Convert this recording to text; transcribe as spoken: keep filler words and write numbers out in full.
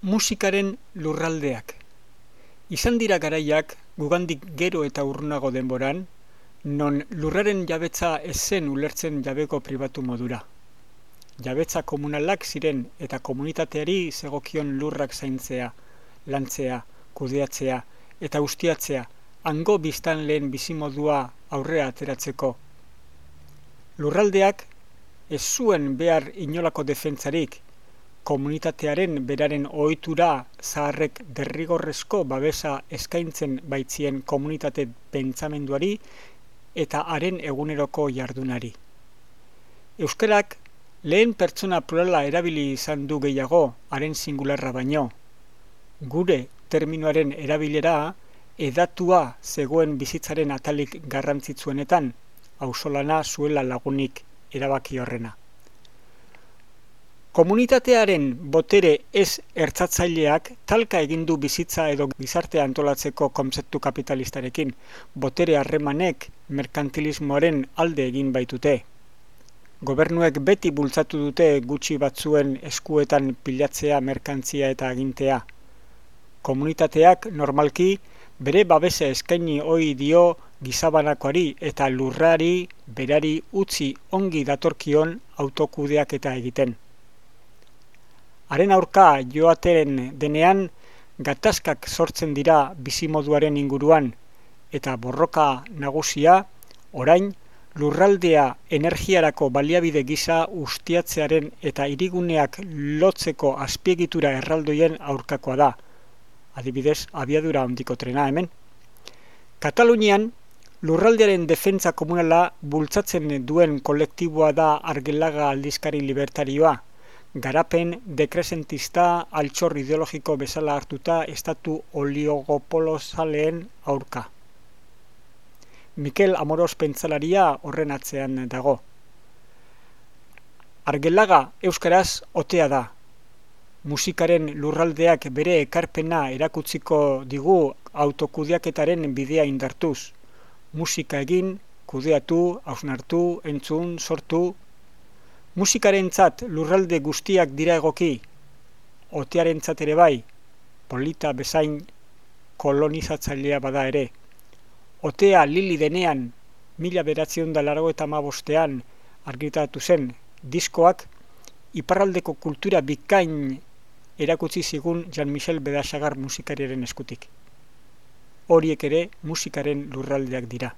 Musikaren lurraldeak. Izan dira garaiak, gugandik gero eta urrunago denboran, non lurraren jabetza ez zen ulertzen jabeko pribatu modura. Jabetza komunalak ziren eta komunitateari zegokion lurrak zaintzea, lantzea, kudeatzea eta ustiatzea, hango biztanleen bizimodua aurrera ateratzeko. Lurraldeak ez zuen behar inolako defentsarik, komunitatearen beraren ohitura zaharrek derrigorrezko babesa eskaintzen baitzien komunitate pentsamenduari eta haren eguneroko jardunari. Euskarak lehen pertsona plurala erabili izan du gehiago haren singularra baino. Gure terminoaren erabilera edatua zegoen bizitzaren atalik garrantzitsuenetan, auzolana zuela lagunik erabaki horrena. Komunitatearen botere ez ertzatzaileak talka egin du bizitza edo gizartea antolatzeko kontzeptu kapitalistarekin, botere harremanek merkantilismoaren alde egin baitute. Gobernuek beti bultzatu dute gutxi batzuen eskuetan pilatzea merkantzia eta agintea. Komunitateak normalki bere babesa eskaini ohi dio gizabanakoari eta lurrari berari utzi ongi datorkion autokudeaketa egiten. Haren aurka joaten denean gatazkak sortzen dira bizimoduaren inguruan eta borroka nagusia orain lurraldea energiarako baliabide gisa ustiatzearen eta hiriguneak lotzeko azpiegitura erraldoien aurkakoa da. Adibidez, abiadura handiko trena hemen. Katalunian lurraldearen defentsa komunala bultzatzen duen kolektiboa da Argelaga aldizkari libertarioa. Garapen dekresentista altxor ideologiko bezala hartuta estatu oligopolozaleen aurka. Mikel Amoros pentsalaria horren atzean dago. Argelaga euskaraz otea da. Musikaren lurraldeak bere ekarpena erakutsiko digu autokudeaketaren bidea indartuz. Musika egin, kudeatu, hausnartu, entzun, sortu. Musikarentzat lurralde guztiak dira egoki, otearentzat ere bai, polita bezain kolonizatzailea bada ere. Otea Lili denean, mila bederatziehun eta laurogeita hamabostean argitaratu zen diskoak, iparraldeko kultura bikain erakutsi zigun Jean-Michel Bedasagar musikariaren eskutik. Horiek ere musikaren lurraldeak dira.